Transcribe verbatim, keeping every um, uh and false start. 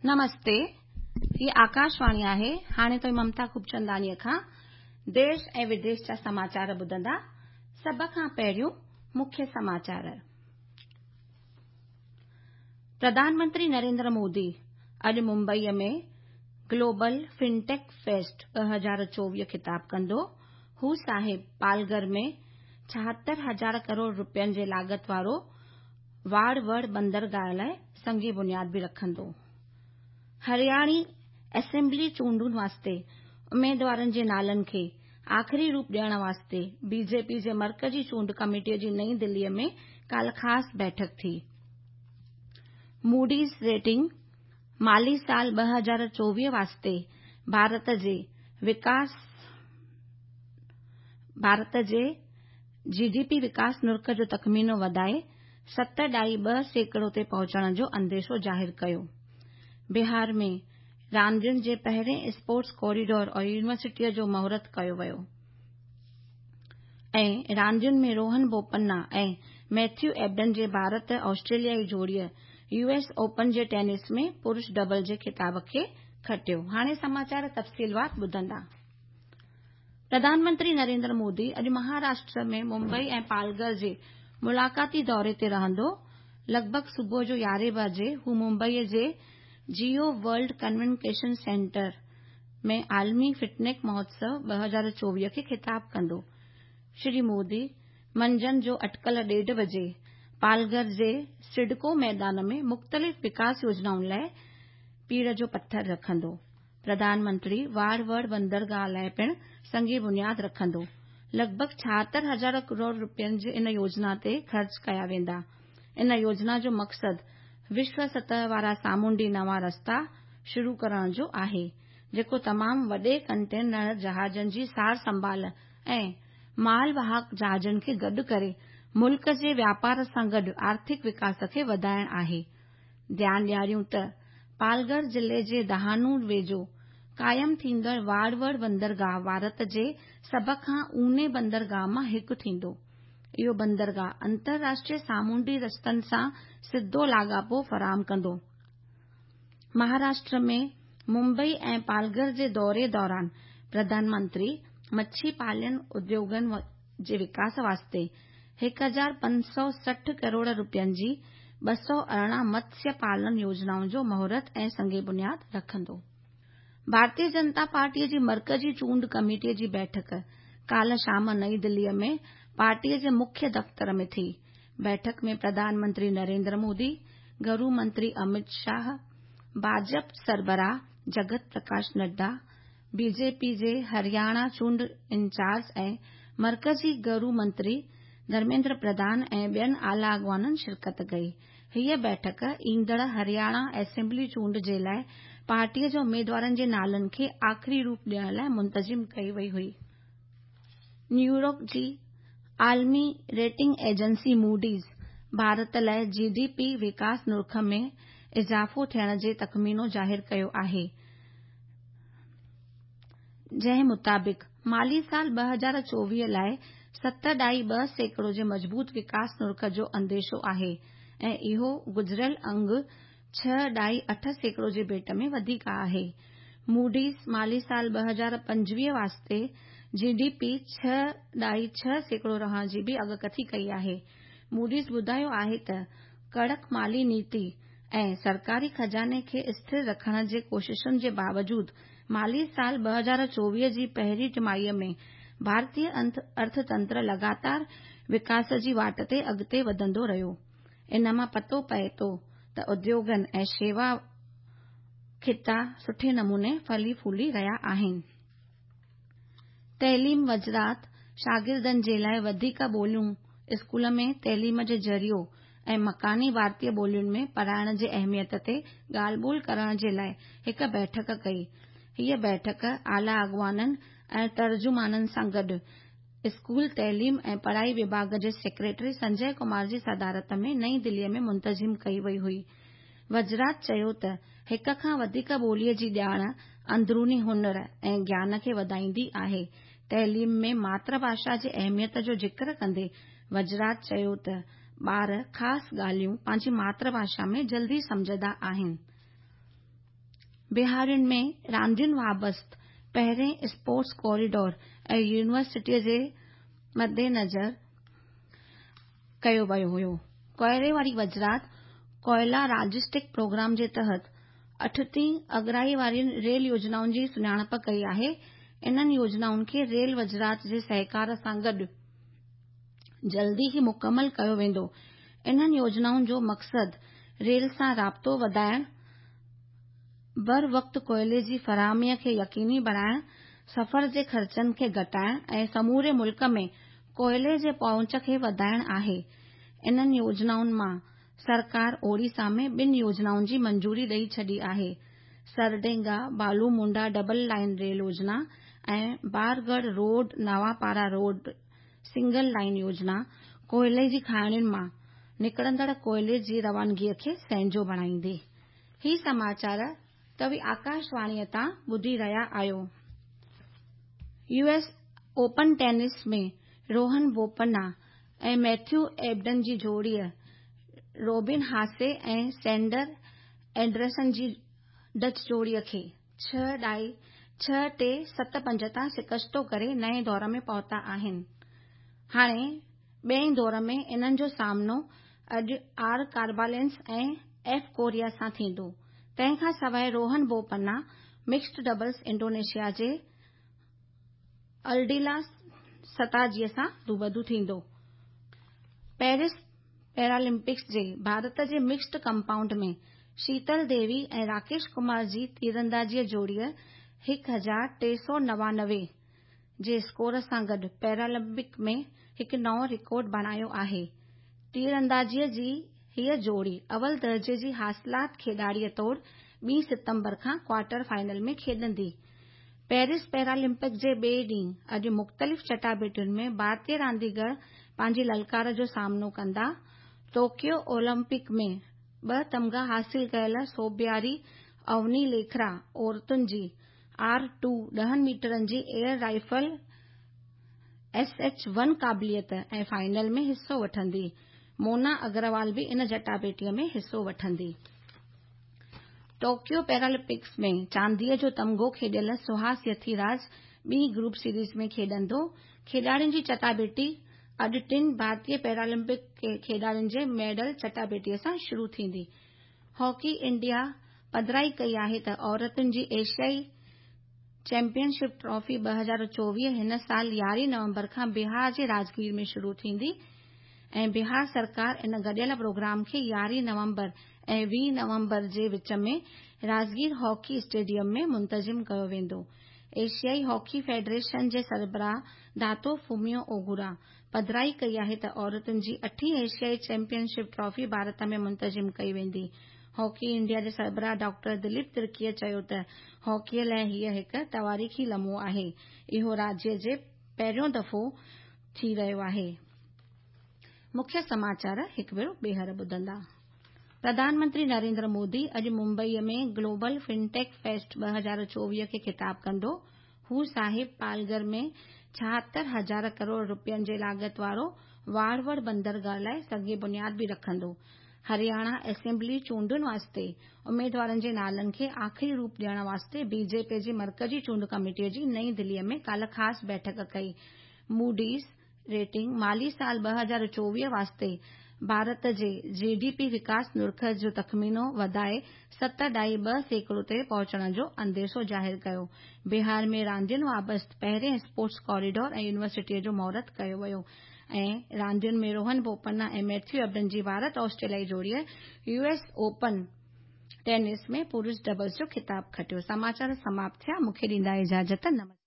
नमस्ते, ही आकाशवाणी आहे। हाणे तो ममता खूबचंदानीअ खां देश ऐं विदेश जा समाचार ॿुधंदा। सभ खां पहिरियों मुख्य समाचार। प्रधानमंत्री नरेंद्र मोदी अॼु मुंबईअ में ग्लोबल फिनटेक फेस्ट ॿ हज़ार चोवीह ख़िताब कंदो। हू साहिब पालघर में छाहतरि हज़ार करोड़ रुपयनि जे लागत वारो वाड़वड़ बंदरगाह लाइ संग बुनियाद बि रखंदो। हरियाणी असेंबली चूंडुनि वास्ते उमेदवारनि जे नालनि खे आख़िरी रूप ॾियण वास्ते बीजेपी जे मर्कज़ी चूंड कमेटीअ जी नई दिल्लीअ में काल्ह ख़ासि बैठक थी। मूडीज़ रेटिंग माली साल ॿ हज़ार चोवीह वास्ते भारत जे विकास भारत जे जीडीपी विकास नुर्ख जो तख़मीनो वधाए सत ॾाई ॿ सैकड़ो ते पहुचण जो अंदेशो ज़ाहिर कयो। बिहार में रांदियुनि जे पहिरें स्पोर्ट्स कॉरिडोर और यूनिवर्सिटीअ जो मुहूर्त कयो वियो ऐं रांदियुनि में रोहन बोपन्ना ऐं मैथ्यू एबडन जे भारत ऑस्ट्रेलियाई जोड़ीअ यूएस ओपन जे टेनिस में पुरुष डबल जे ख़िताब खे खटियो। हाणे समाचार तफ़सीलवार ॿुधंदा। प्रधानमंत्री नरेंद्र मोदी अॼु महाराष्ट्र में मुंबई ऐं पालघर जे मुलाक़ाती दौरे ते रहंदो। लॻभॻ सुबुह जो यारहें बजे हू मुंबईअ जे जियो वर्ल्ड कन्वेंशन सेंटर में आलमी फिटनेस महोत्सव ॿ हज़ार चोवीह खे ख़िताब कंदो। श्री मोदी मंझंदि जो अटकल ॾेढ बजे पालघर जे सिडको मैदान में मुख़्तलिफ़ विकास योजनाउनि लाइ पीड़ जो पथर रखंदो। प्रधानमंत्री वाड़वड़ बंदरगाह लाइ पिणु संग बुनियाद रखंदो। लॻभॻ छाहतरि हज़ार करोड़ रुपयनि जे इन योजना ते ख़र्च कया वेंदा। इन योजना जो मक़सदु विश्व सतह वारा सामुंडी नवां रस्ता शुरू करण जो आहे, जेको तमामु वॾे कंटेनर जहाज़नि जी सार संभाल ऐं माल वाहक जहाज़नि खे गॾु करे मुल्क जे व्यापार सां गॾु आर्थिक विकास खे वधाइण आहे। ध्यानु ॾियारियूं त पालघर ज़िले जे दहानू वेझो क़ाइमु थींदड़ वाड़वड़ बंदरगाह भारत जे सभ खां ऊने बंदरगाह मां हिकु थींदो। इहो बंदरगाह अंतर्राष्ट्रीय सामुंडी रस्तनि सां सिधो लाॻापो फराहम कंदो। महाराष्ट्र में मुंबई ऐं पालघर जे दौरे दौरान प्रधानमंत्री मच्छी पालन उद्योगनि जे विकास वास्ते हिकु हज़ार पंज सौ सठि करोड़ रुपयनि जी ॿ सौ अरिड़हं मत्स्य पालन योजनाउनि जो मुहूर्त ऐं संग बुनियाद रखंदो। भारतीय जनता पार्टीअ जी मर्कज़ी चूंड कमेटीअ जी बैठक काल्ह शाम नई दिल्लीअ में पार्टीअ जे मुख्य दफ़्तर में थी। बैठक में प्रधानमंत्री नरेंद्र मोदी, गृह मंत्री अमित शाह, भाजपा सरबराह जगत प्रकाश नड्डा, बीजेपी जे हरियाणा चूंड इंचार्ज ऐं मर्कज़ी गृह मंत्री धर्मेंद्र प्रधान ऐं ॿियनि आला अॻवाननि शिरकत कई। हीअ बैठक ईंदड़ हरियाणा असेंबली चूंड जे लाइ पार्टीअ जे उमेदवारनि जे नालनि खे आख़िरी रूप ॾियण लाइ मुंतज़िम कई वई हुई। न्यूयॉर्क जी आलमी रेटिंग एजेंसी मूडीज़ भारत लाइ जीडीपी विकास नुर्ख में इज़ाफ़ो थियण जे तख़मीनो ज़ाहिर कयो आहे, जंहिं मुताबिक़ माली साल ॿ हज़ार चोवीह लाइ सत ॾाई ॿ सैकड़ो जे मज़बूत विकास नुर्ख जो अंदेशो आहे ऐं इहो गुज़िरियल अंग छह ॾाई अठ सैकड़ो जे भेंट में वधीक आहे। मूडीज़ माली साल ॿ हज़ार पंजवीह वास्ते जीडीपी छह ॾाई छह सैकड़ो रहण जी बि अॻकथी कई आहे। मूडीज़ ॿुधायो आहे त कड़क माली नीति ऐं सरकारी ख़ज़ाने खे स्थिर रखण जे कोशिशुनि जे बावजूद माली साल ॿ हज़ार चोवीह जी पहिरीं टिमाहीअ में भारतीय अर्थतंत्र लगातार विकास जी वाट ते अॻिते वधंदो रहियो। इन मां पतो पए थो त उद्योगनि ऐं शेवा ख़िता सुठे नमूने फली फूली रहिया आहिनि। तइलीम वज़ारत शागिर्दनि जे लाइ वधीक ॿोलियूं स्कूल में तइलीम जे ज़रियो ऐं मकानी भारतीय ॿोलियुनि में पढ़ाइण जे अहमियत ते ॻाल्हि ॿोल करण जे लाइ हिकु बैठक कई। हीअ बैठक आला अॻवाननि ऐं तर्जुमाननि सां गॾु स्कूल तइलीम ऐं पढ़ाई विभाग जे सेक्रेटरी संजय कुमार जी सदारत में नई दिल्लीअ में मुंतज़िम कई वई हुई। वज़ारत चयो त हिक खां वधीक ॿोलीअ जी ॼाण अंदरूनी हुनर ऐं ज्ञान खे वधाईंदी आहे। तइलीम में मातृभाषा जे अहमियत जो ज़िक्र कंदे वज़ारत चयो त ॿार ख़ासि ॻाल्हियूं पंहिंजी मातृभाषा में जल्दी सम्झंदा आहिनि। بهار ۾ راندين وابسته پهرين اسپورٽس ڪوريڊور ۽ يونيورسٽيءَ جي مدنظر ڪيو ويو هيو. ڪوئلي واري وزارت ڪوئلا لاجسٽڪ پروگرام جي تحت اٺٽيهه اڳرائي وارين ريل يوجنائن جي سڃاڻپ ڪئي آهي. انهن يوجنائن کي ريل وزارت جي سهڪار سان گڏ جلدي ئي مڪمل ڪيو ويندو. انهن يوجنائن جو مقصد ريل سان رابطو وڌائڻ، بروقت ڪوئلي جي فراهميءَ کي يقيني بڻائڻ، سفر جي خرچن کي گهٽائڻ ۽ سموري ملڪ ۾ ڪوئلي جي پهچ کي وڌائڻ آهي. انهن يوجنائن مان سرڪار اوڙيسا ۾ ٻن يوجنائن جي منظوري ڏئي ڇڏي آهي. سرڊينگا بالومونڊا ڊبل لائن ريل يوجنا ۽ Bargarh road Nuapara road single line يوجنا ڪوئلي جي کاڻين مان نڪرندڙ ڪوئلي جي روانگيءَ کي سهنجو بڻائيندي. هي سماچار توهين آڪاشواڻيءَ تان ٻڌي رهيا آهيو. U S Open tennis ۾ Rohan Bopanna ۽ Matthew Ebden جي جوڙيءَ روبن هاسي ۽ سينڊر اينڊرسن جي ڊچ جوڙيءَ کي ڇهه ڍائي ڇهه ٽي ست پنج تان شڪستو ڪري نئين دور ۾ پهتا آهن. هاڻي ٻئي دور ۾ انهن جو سامنو اڄ آر ڪاربالينس ۽ ايف ڪوريا سان ٿيندو. تنهن کان سواءِ Rohan Bopanna mixed doubles Indonesia جي الڊيلا ستاجيءَ سان روبرو ٿيندو. پيرس پيرالمپڪس جي ڀارت جي مڪسڊ ڪمپائونڊ ۾ شيتل ديوي ۽ راڪيش ڪمار جي تيراندازيءَ جوڙيءَ هڪ هزار ٽي سؤ نوانوي جي اسڪور سان گڏ پيرالمپڪ ۾ هڪ نئون رڪارڊ بڻايو آهي. تيراندازيءَ جي هيءَ جوڙي اول درجي جي حاصلات کيڏاڙيءَ طور ٻي ستمبر کان ڪوارٽر فائنل ۾ کيڏندي. پيرس پيرالمپڪ جي ٻئي ڏينهن اڄ مختلف چٽاڀيٽين ۾ ڀارتيه رانديگر پنهنجي للڪار جو سامنو ڪندا. ٽوڪيو اولمپڪ ۾ ٻه تمغا حاصل ڪيل سوڀياري اوني ليکرا عورتن جي آر ٽو ڏهن ميٽرن جي air rifle S H one قابليت ۽ فائنل ۾ حصو وٺندي. مونا اگروال به ان چٽاڀيٽيءَ ۾ حصو وٺندي. ٽوڪيو پيرالمپڪس ۾ چانديءَ جو تمغو کيڏيل سهاس يٿيراج ٻي گروپ سيريز ۾ کيڏندو. کيڏاڙين جي چٽاڀيٽي اڄ ٽن ڀارتيه پيرالمپڪ کيڏاڙين جي ميڊل چٽاڀيٽيءَ سان شروع ٿيندي. هاڪي انڊيا پڌرائي ڪئي آهي ته عورتن جي ايشيائي چيمپيئن شپ ٽرافي ٻه هزار چوويهه هن سال يارهين نومبر کان بهار جي راجگير ۾ شروع ٿيندي ۽ بهار سرڪار ان گڏيل پروگرام کي يارهين نومبر ۽ ويهه نومبر جي وچ ۾ راجگير هاڪي اسٽيڊيم ۾ منتظم ڪيو ويندو. ايشيائي هاڪي فيڊريشن جي سربراهه داتو فوميو اوگورا پڌرائي ڪئي آهي ته عورتن جي اٺين ايشيائي چيمپيئن شپ ٽرافي ڀارت ۾ منتظم ڪئي ويندي. هاڪي انڊيا جي سربراهه ڊاڪٽر دليپ ترڪيءَ چيو ته هاڪيءَ لاءِ هيءَ هڪ تواريخي لمحو آهي. اهو راجيه جي پهريون دفعو ٿي رهيو آهي. مکيه سماچار هڪ ڀيرو ٻيهر ٻڌندا. پرڌان منتري نريندر مودي اڄ ممبئيءَ ۾ گلوبل فنٽيڪ فيسٽ ٻه هزار چوويهه کي خطاب ڪندو. هو صاحب پالگهر ۾ ڇاهتر هزار ڪروڙ رپين جي لاڳت وارو واڙوڙ بندرگاهه لاءِ سنگ بنياد به رکندو. هرياڻا اسيمبلي چونڊن واسطي اميدوارن جي نالن کي آخري روپ ڏيڻ واسطي بي جي پي جي مرڪزي چونڊ ڪميٽيءَ جي نئين دليءَ ۾ ڪالهه خاص بيٺڪ ڪئي. موڊيز ريٽنگ مالي سال ٻه هزار چوويهه واسطي ڀارت جي جي ڊي پي وڪاس نرخ جو تخمينو وڌائي ست ڍائي ٻه سيڪڙو تي پهچڻ جو انديشو ظاهر ڪيو. بهار ۾ راندين وابسته پهرين اسپورٽس ڪوريڊور ۽ يونيورسٽيءَ جو مهورت ڪيو ويو ۽ راندين ۾ روهن بوپنا ۽ ميٿيو ايبڊن جي ڀارت آسٽريليائي جوڙيءَ يو ايس اوپن ٽينس ۾ پرش ڊبلز جو خطاب کٽيو. سماچار سماپت ٿيا. مون کي ڏيندا اجازت. نمسڪار.